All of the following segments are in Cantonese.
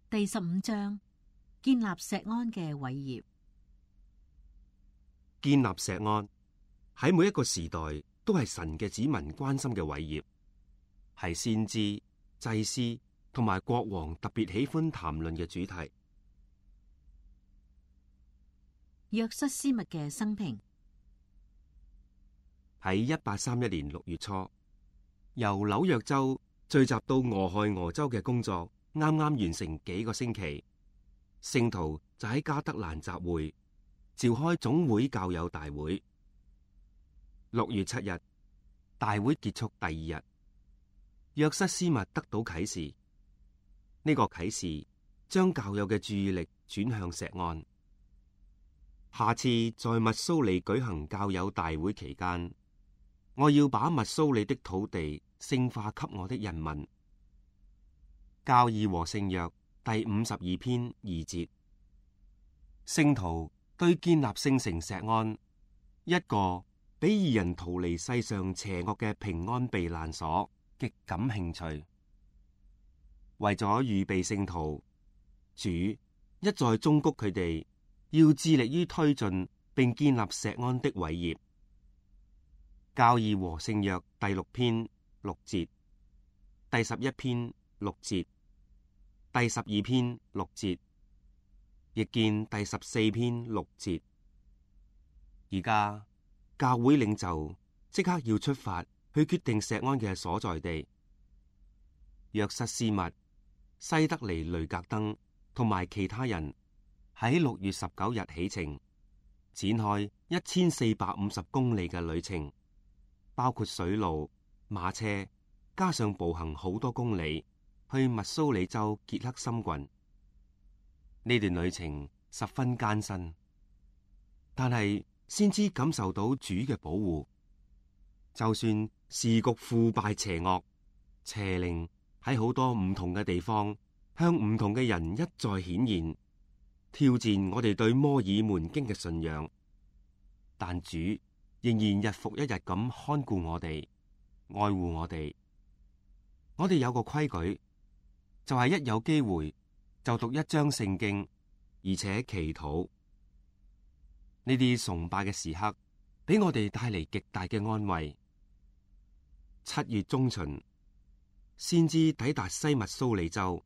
第15章，建立錫安嘅偉業。建立錫安喺每一個時代都係神嘅子民關心嘅偉業，係先知、祭司同埋國王特別喜歡談論嘅主題。約瑟斯密嘅生平。喺1831年6月初，由紐約州聚集到俄亥俄州嘅工作啱啱完成幾個星期，聖徒就喺加德蘭集會召開總會教友大會。6月7日，大會結束第2日，約瑟斯密得到啟示，呢個啟示將教友嘅注意力轉向錫安。下次在密蘇里舉行教友大會期間，我要把密蘇里的土地聖化給我的人民。教義和聖約第52篇2節。聖徒對建立聖城錫安，一個俾義人逃離世上邪惡嘅平安避難所，極感興趣。為咗預備聖徒，主一再忠告佢哋要致力於推進並建立錫安的偉業。教義和聖約第6篇6節，第11篇6節，第12篇6節，亦見第14篇6節。而家教會領袖即刻要出發去決定錫安嘅所在地。約瑟斯密、西德尼雷格登同埋其他人喺6月19日起程，展開1450公里嘅旅程，包括水路、馬車，加上步行好多公里，去密蘇里州傑克森郡。呢段旅程十分艱辛，但係先知感受到主嘅保護。就算時局腐敗邪惡，邪靈喺好多唔同嘅地方向唔同嘅人一再顯現，挑戰我哋對摩爾門經嘅信仰，但主仍然日復一日咁看顧我哋，愛護我哋。我哋有個規矩，就係一有機會就讀一章聖經，而且祈禱。呢啲崇拜嘅時刻，俾我哋帶嚟極大嘅安慰。7月中旬，先至抵達西密蘇里州，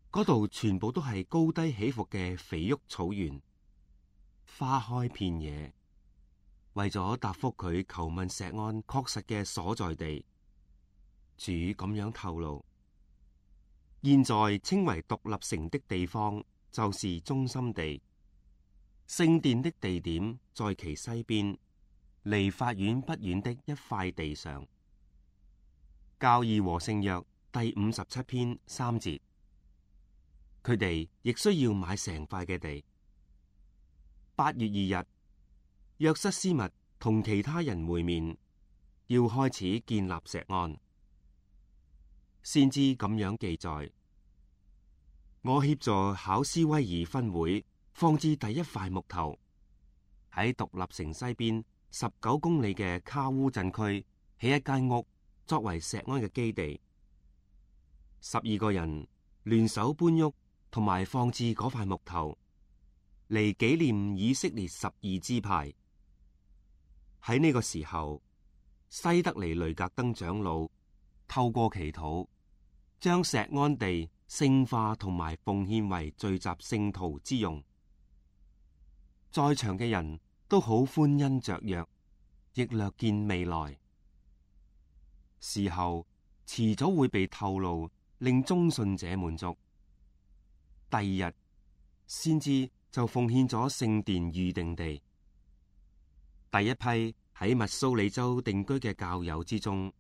嗰度全部都係高低起伏嘅肥沃草原，花開遍野。為咗答覆佢求問錫安確實嘅所在地，主咁樣透露：現在稱為獨立城的地方，就是中心地。聖殿的地點在其西邊，離法院不遠的一塊地上。教義和聖約第57篇3節。佢哋亦需要買成塊嘅地。8月2日，約瑟斯密同其他人會面，要開始建立錫安。先知咁樣記載：我協助考斯威爾分會放置第一塊木頭，喺獨立城西邊19公里嘅卡烏鎮區起一間屋，作為錫安嘅基地。12個人聯手搬屋同埋放置嗰塊木頭，嚟紀念以色列12支派。喺呢個時候，西德尼雷格登長老透過祈禱，將錫安地聖化同埋奉獻為聚集聖徒之用。在場嘅人都好歡欣雀躍，亦略見未來。事後遲早會被透露，令忠信者滿足。第2日，先知就奉獻咗聖殿預定地。第一批喺密蘇里州定居嘅教友之中，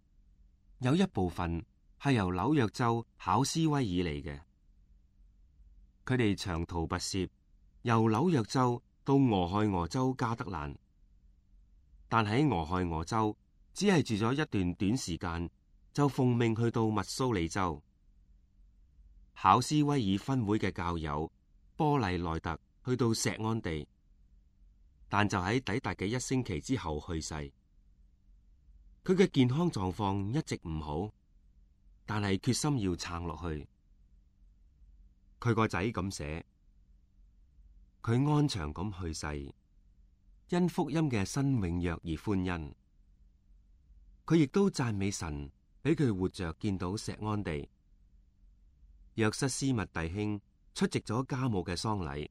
有一部分係由紐約州考斯威爾嚟嘅。佢哋長途跋涉，由紐約州到俄亥俄州加德蘭，但喺俄亥俄州只係住咗一段短時間，就奉命去到密蘇里州。考斯威爾分會嘅教友波麗內特去到錫安地，但就喺抵達嘅1星期之後去世。佢嘅健康狀況一直唔好，但係決心要撐落去。佢個仔咁寫，佢安詳咁去世，因福音嘅新永約而歡欣。佢亦都讚美神，俾佢活着見到錫安地。約瑟斯密弟兄出席咗家母嘅喪禮，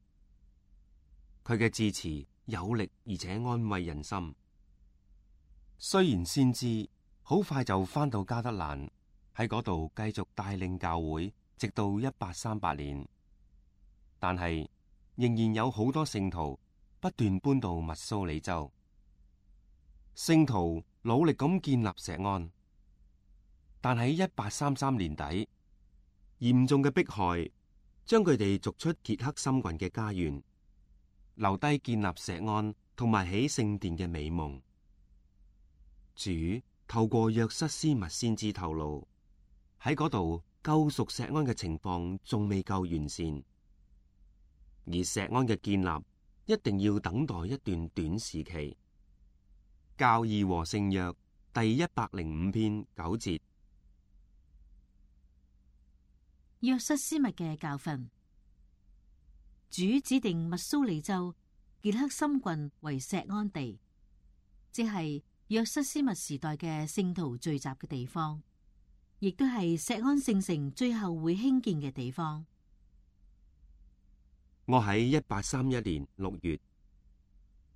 佢嘅致辭有力而且安慰人心。雖然先知好快就返到加德蘭，喺嗰度繼續帶領教會，直到1838年，但係仍然有好多聖徒不斷搬到密蘇里州。聖徒努力咁建立錫安，但喺1833年底，嚴重嘅迫害將佢哋逐出傑克森郡嘅家園，留低建立錫安同埋起聖殿嘅美夢。主透過約瑟斯密先知透露，喺嗰度救贖錫安嘅情況仲未夠完善，而錫安嘅建立一定要等待一段短時期。教義和聖約第105篇9節。約瑟斯密嘅教訓。主指定密蘇里州傑克森郡為錫安地，即係約瑟斯密時代嘅聖徒聚集嘅地方，亦都係錫安聖城最後會興建嘅地方。我喺1831年6月，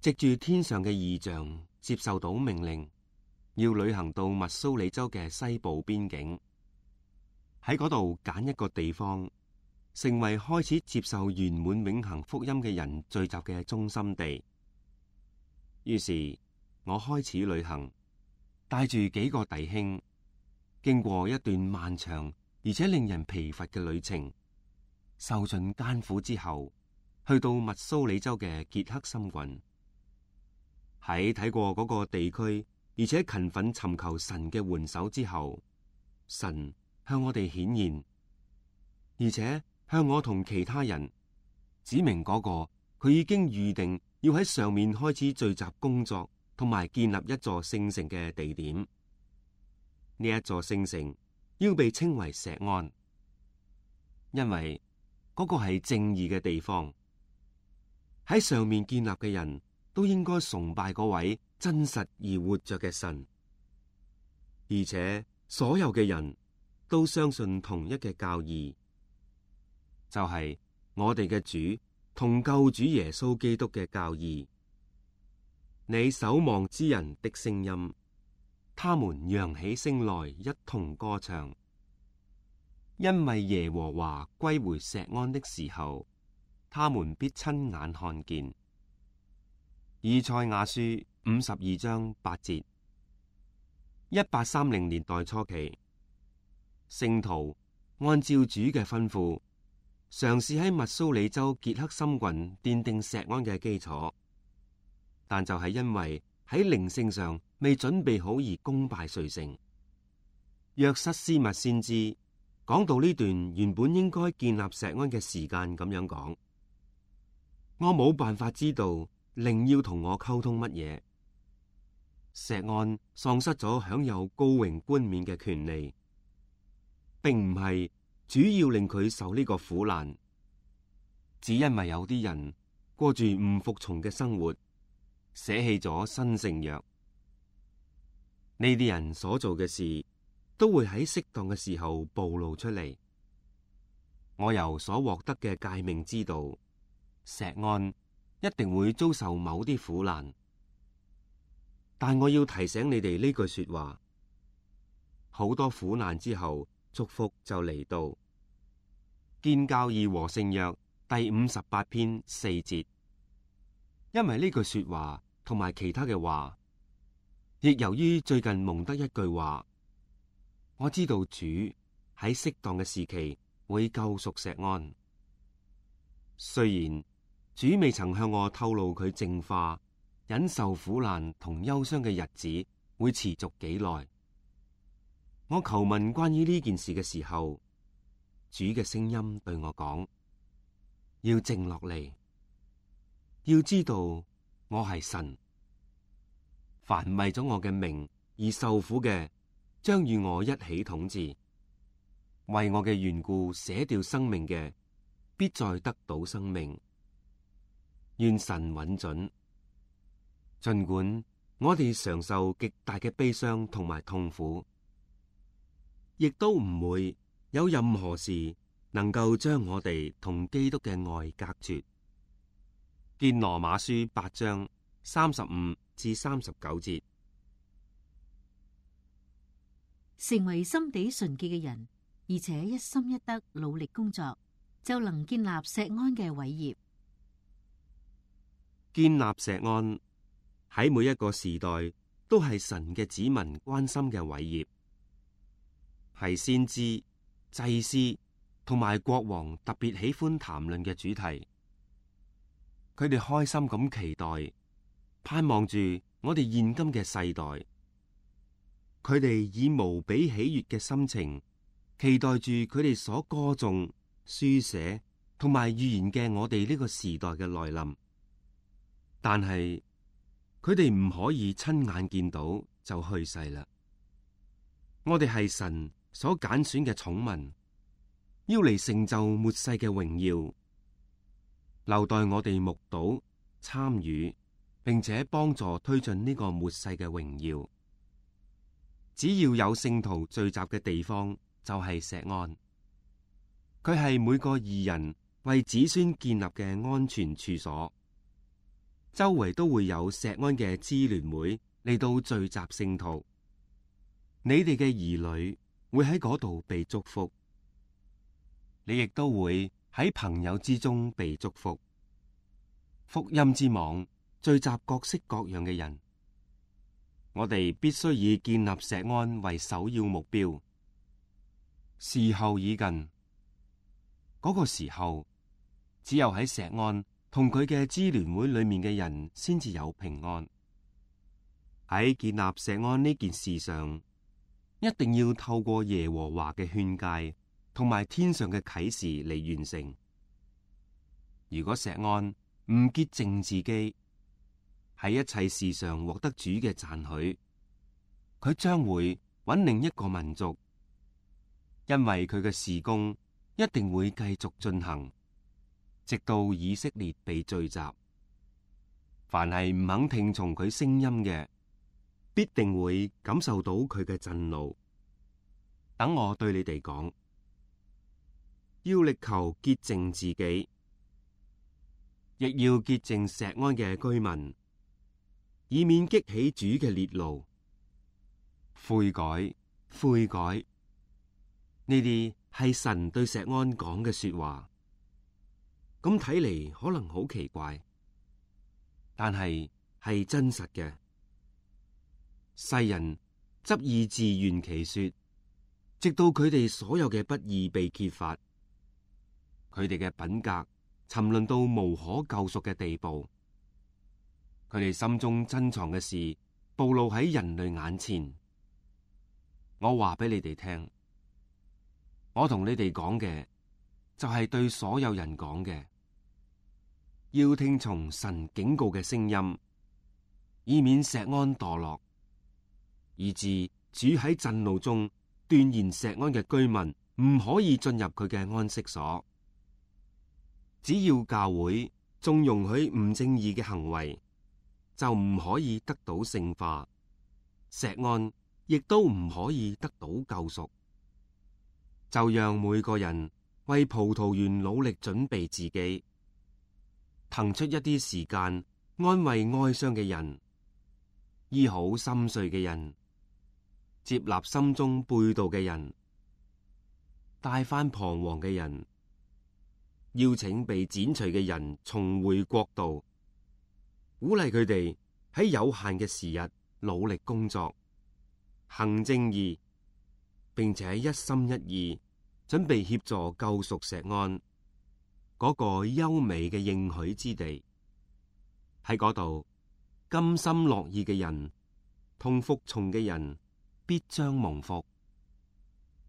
藉住天上嘅異象，接受到命令，要旅行到密蘇里州嘅西部邊境，喺嗰度揀一個地方，成為開始接受圓滿永恆福音嘅人聚集嘅中心地。於是我開始旅行，帶住幾個弟兄，經過一段漫長而且令人疲乏嘅旅程，受盡艱苦之後，去到密蘇里州嘅傑克森郡。喺睇過嗰個地區，而且勤奮尋求神嘅援手之後，神向我哋顯現，而且向我同其他人指明嗰個佢已經預定要喺上面開始聚集工作同埋建立一座聖城嘅地點。呢一座聖城要被稱為錫安，因為嗰個係正義嘅地方。喺上面建立嘅人都應該崇拜嗰位真實而活着嘅神，而且所有嘅人都相信同一嘅教義，就係我哋嘅主同救主耶穌基督嘅教義。你守望之人的聲音，他們揚起聲來一同歌唱，因為耶和華歸回錫安的時候，他們必親眼看見。以賽亞書52章8節。1830年代初期，聖徒按照主嘅吩咐，嘗試喺密蘇里州傑克森郡奠定錫安嘅基礎，但就係因為喺靈性上未準備好而功敗垂成。約瑟斯密先知講到呢段原本應該建立錫安嘅時間咁樣講，我冇辦法知道靈要同我溝通乜嘢。錫安喪失咗享有高榮冠冕嘅權利，並唔係主要令佢受呢個苦難，只因為有啲人過住唔服從嘅生活，捨棄咗新聖約。呢啲人所做嘅事都會喺適當嘅時候暴露出嚟。我由所獲得嘅誡命知道，錫安一定會遭受某啲苦難，但我要提醒你哋呢句說話：好多苦難之後，祝福就嚟到。建教義和聖約第58篇4節。因為呢句說話同埋其他嘅話，亦由於最近蒙得一句話，我知道主喺適當嘅時期會救贖錫安。雖然主未曾向我透露佢淨化、忍受苦難同憂傷嘅日子會持續幾耐，我求問關於呢件事嘅時候，主嘅聲音對我講：要靜落嚟，要知道我係神。凡為咗我嘅名而受苦嘅，將與我一起統治；為我嘅緣故捨掉生命嘅，必再得到生命。願神允准，儘管我哋常受極大嘅悲傷同埋痛苦，亦都唔會有任何事能夠將我哋同基督嘅愛隔絕。見羅馬書8章35至39節。成為心地純潔嘅人，而且一心一德努力工作，就能建立錫安嘅偉業。建立錫安喺每一個時代都係神嘅子民關心嘅偉業，係先知、祭司同埋國王特別喜歡談論嘅主題。佢哋開心咁期待，盼望住我哋現今嘅世代。佢哋以無比喜悅嘅心情，期待住佢哋所歌頌、書寫同埋預言嘅我哋呢個時代嘅來臨。但係佢哋唔可以親眼見到就去世啦。我哋係神所揀選嘅寵民，要嚟成就末世嘅榮耀。留待我哋目睹、參與，並且幫助推進呢個末世嘅榮耀。只要有聖徒聚集嘅地方，就係錫安。佢係每個義人為子孫建立嘅安全處所。周圍都會有錫安嘅支聯會嚟到聚集聖徒。你哋嘅兒女會喺嗰度被祝福，你亦都會喺朋友之中被祝福。福音之網聚集各式各樣嘅人，我哋必須以建立錫安為首要目標。時候已近，嗰個時候只有喺錫安同佢嘅支聯會裏面嘅人先至有平安。喺建立錫安呢件事上，一定要透過耶和華嘅勸誡同埋天上嘅啟示嚟完成。如果錫安唔潔淨自己，喺一切事上獲得主嘅讚許，佢將會揾另一個民族，因為佢嘅事工一定會繼續進行，直到以色列被聚集。凡係唔肯聽從佢聲音嘅，必定會感受到佢嘅震怒。等我對你哋講，要力求潔淨自己，亦要潔淨錫安嘅居民，以免激起主嘅烈怒。悔改，悔改，呢啲係神對錫安講嘅說話。咁睇嚟可能好奇怪，但係真實嘅。世人執意自圓其說，直到佢哋所有嘅不義被揭發，佢哋嘅品格沉淪到無可救贖嘅地步，佢哋心中珍藏嘅事暴露喺人類眼前。我話俾你哋聽，我同你哋講嘅就係對所有人講嘅，要聽從神警告嘅聲音，以免錫安墮落，以致主喺震怒中斷言錫安嘅居民唔可以進入佢嘅安息所。只要教會縱容許唔正義嘅行為，就唔可以得到聖化，錫安亦都唔可以得到救贖。就讓每個人為葡萄園努力準備自己，騰出一啲時間安慰哀傷嘅人，醫好心碎嘅人，接納心中背道嘅人，帶返彷徨嘅人，邀請被剪除嘅人重回國度，鼓勵佢哋喺有限嘅時日努力工作，行正義，並且一心一意準備協助救贖錫安嗰個優美嘅應許之地。喺嗰度，甘心樂意嘅人同服從嘅人必將蒙福。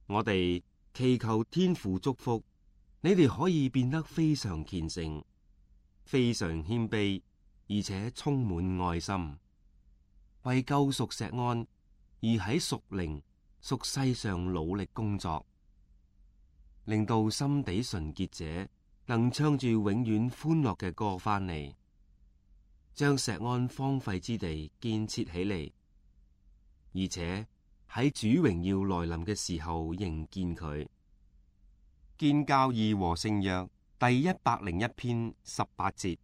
我哋祈求天父祝福你哋，可以變得非常虔誠、非常謙卑，而且充滿愛心，為救贖錫安而喺屬靈、屬世上努力工作，令到心地純潔者能唱住永遠歡樂嘅歌翻嚟，將錫安荒廢之地建設起嚟，而且喺主榮耀來臨嘅時候迎見佢。建教義和聖約第101篇18節。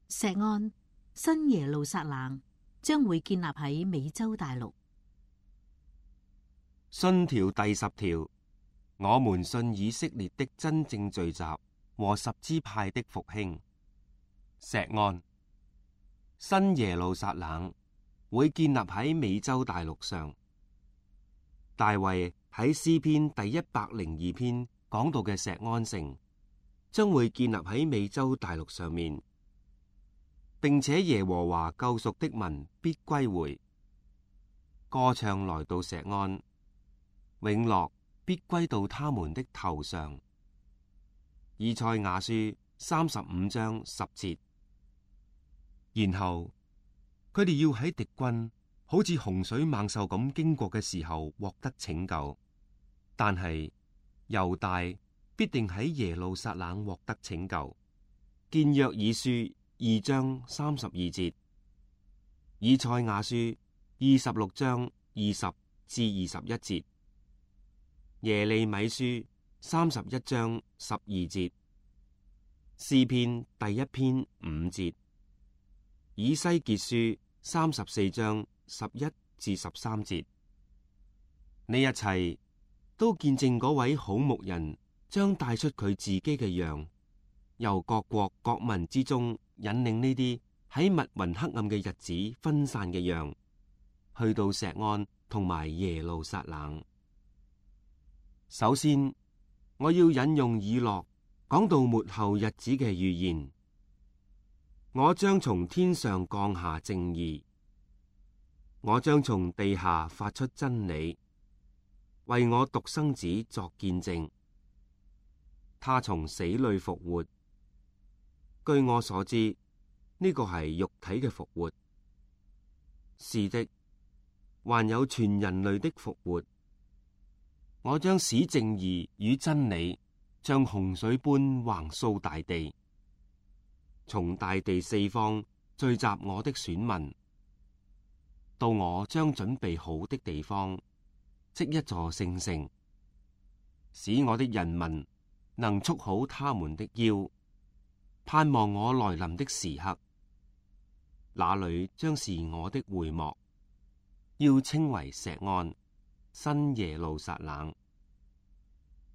錫安新耶路撒冷將會建立喺美洲大陸。信條第10條，我們信以色列的真正聚集和十支派的復興。錫安新耶路撒冷會建立喺美洲大陸上。大衛喺詩篇第102篇講到嘅錫安城，將會建立喺美洲大陸上面，並且耶和華救贖的民必歸回，歌唱來到錫安，永樂必歸到他們的頭上。以賽亞書35章10節。然後佢哋要喺敵軍好似洪水猛獸咁經過嘅時候獲得拯救，但係猶大必定喺耶路撒冷獲得拯救。見約珥書2章32節，以賽亞書26章20至21節，耶利米書31章12節，詩篇第1篇5節，以西結書34章11至13節。呢一切都見證嗰位好牧人將帶出佢自己嘅羊，由各國各民之中引領呢啲喺密雲黑暗嘅日子分散嘅羊，去到錫安同埋耶路撒冷。首先，我要引用以諾講到末後日子嘅預言。我將從天上降下正義，我將從地下發出真理，為我獨生子作見證。他從死裏復活。據我所知，呢個係肉體嘅復活。是的，還有全人類的復活。我將使正義與真理像洪水般橫掃大地，從大地四方聚集我的選民，到我將準備好的地方，即一座聖城，使我的人民能束好他們的腰，盼望我來臨的時刻。那裏將是我的會幕，要稱為錫安，新耶路撒冷。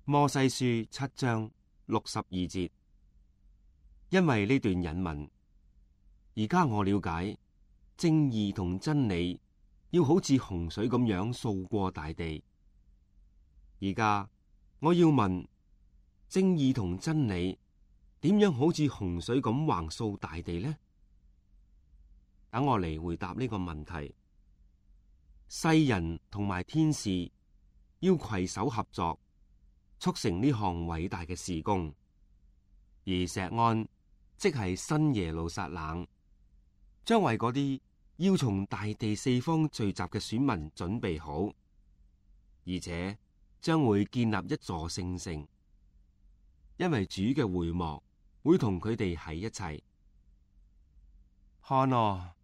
摩西書7章62節。因為呢段引文，而家我了解正義同真理要好似洪水咁樣掃過大地。而家我要問，正義同真理點樣好似洪水咁橫掃大地呢？等我嚟回答呢個問題。世人同埋天使要攜手合作，促成呢項偉大嘅事工，而錫安即係新耶路撒冷，將為嗰啲要從大地四方聚集嘅選民準備好，而且將會建立一座聖城，因為主嘅會幕會同佢哋喺一齊。看啊，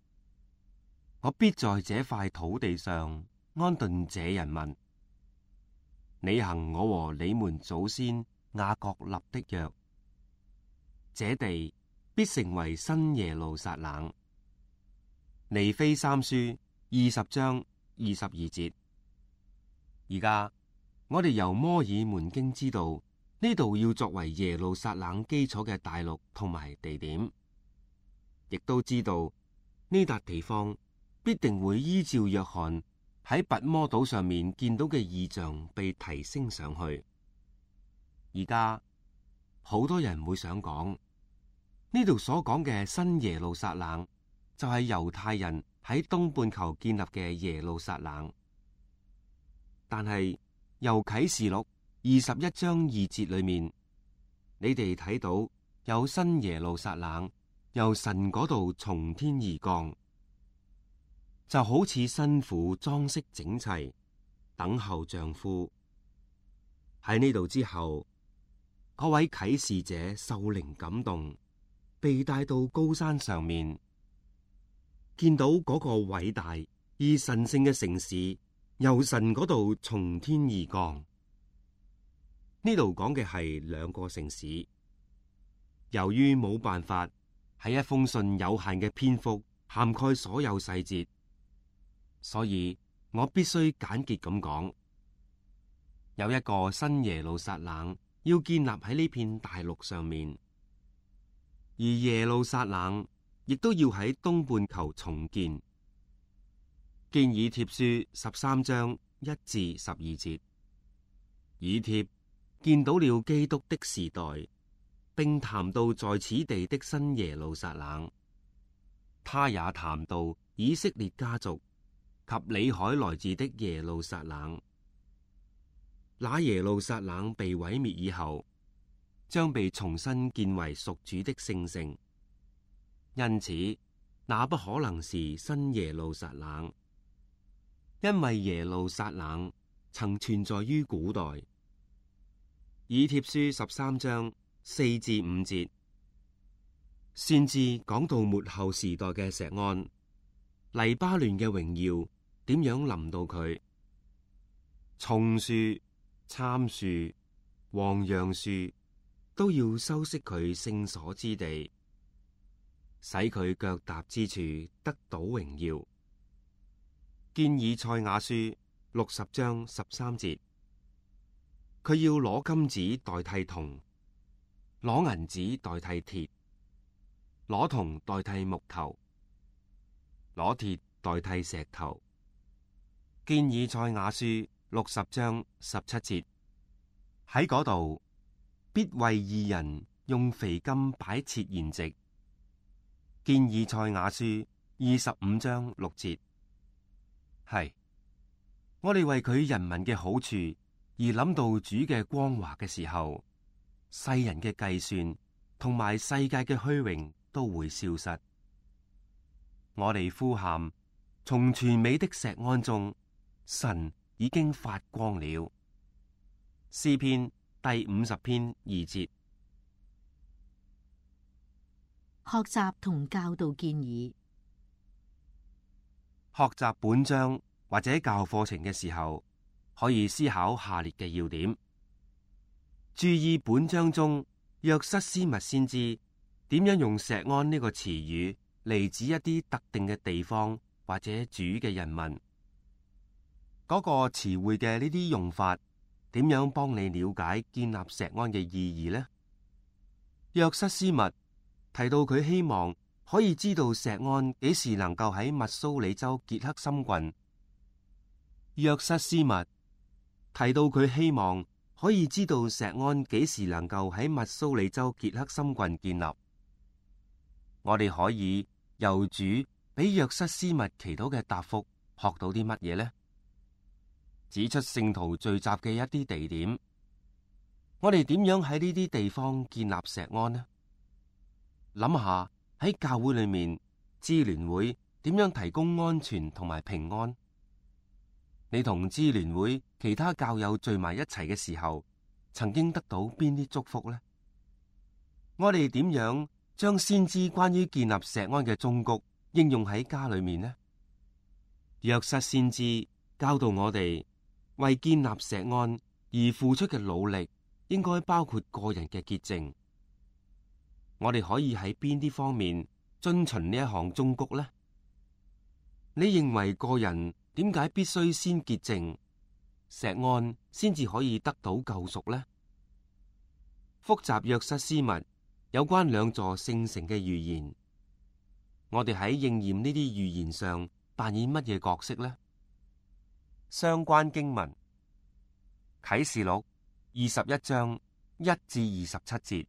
我必在這塊土地上安頓這人民，履行我和你們祖先雅各立的約，這地必成為新耶路撒冷。尼非三書20章22節。而家我哋由摩爾門經知道，呢度要作為耶路撒冷基礎嘅大陸同埋地點，亦都知道呢笪地方必定會依照約翰喺拔摩島上面見到嘅異象被提升上去。而家好多人會想講，呢度所講嘅新耶路撒冷就係猶太人喺東半球建立嘅耶路撒冷，但係由啟示錄21章2節裏面，你哋睇到有新耶路撒冷由神嗰度從天而降，就好似新婦裝飾整齊，等候丈夫。喺呢度之後嗰位啟示者受靈感動，被帶到高山上面，見到嗰個偉大而神聖嘅城市由神嗰度從天而降。呢度講嘅係兩個城市。由於冇辦法喺一封信有限嘅篇幅涵蓋所有細節，所以我必須簡潔咁講，有一個新耶路撒冷要建立喺呢片大陸上面，而耶路撒冷亦都要喺東半球重建。見以帖書13章1至12節，以帖見到了基督的時代，並談到在此地的新耶路撒冷，他也談到以色列家族及里海來自的耶路撒冷。那耶路撒冷被毀滅以後，將被重新建為屬主的聖城，因此那不可能是新耶路撒冷，因為耶路撒冷曾存在於古代。以帖書13章4至5節，先至講到末後時代嘅錫安，黎巴嫩嘅榮耀點樣臨到佢，松樹、參樹、黃楊樹都要修飾佢聖所之地，使佢腳踏之處得到榮耀。見以賽亞書60章13節，佢要攞金子代替銅，攞銀子代替鐵，攞銅代替木頭，攞鐵代替石頭。見以賽亞書60章17節，喺嗰度必為義人用肥金擺設筵席。見以賽亞書25章6節，係我哋為佢人民嘅好處而諗到主嘅光華嘅時候，世人嘅計算同埋世界嘅虛榮都會消失。我哋呼喊，從全美的錫安中，神已經發光了。詩篇第50篇2節。學習同教導建議。學習本章或者教課程嘅時候，可以思考下列嘅要點：注意本章中約瑟斯密先知點樣用錫安呢個詞語嚟指一啲特定嘅地方或者主嘅人民。嗰個詞彙嘅呢啲用法點樣幫你了解建立錫安嘅意義呢？約瑟斯密提到佢希望可以知道錫安幾時能夠喺密蘇里州傑克森郡。約瑟斯密提到佢希望可以知道錫安幾時能夠喺密蘇里州傑克森郡建立。我哋可以由主俾約瑟斯密祈禱嘅答覆學到啲乜嘢呢？指出聖徒聚集嘅一啲地點，我哋點樣喺呢啲地方建立錫安呢？諗下喺教會裏面，支聯會點樣提供安全同埋平安？你同支聯會其他教友聚埋一齊嘅時候，曾經得到邊啲祝福呢？我哋點樣將先知關於建立錫安嘅忠告應用喺家裏面呢？約瑟先知教導我哋，為建立錫安而付出嘅努力，應該包括個人嘅潔淨。我哋可以喺邊啲方面遵循呢一項忠告呢？你認為個人點解必須先潔淨，錫安先至可以得到救贖呢？複習約瑟斯密有關兩座聖城嘅預言，我哋喺應驗呢啲預言上扮演乜嘢角色呢？相關經文：啟示錄21章1至27節，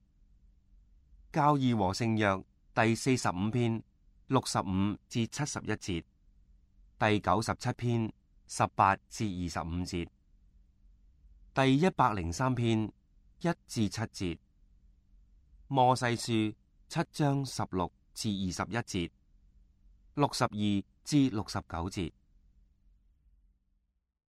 教義和聖約第45篇65至71節，第97篇18至25節，第103篇1至7節，摩西書7章16至21節，62至69節。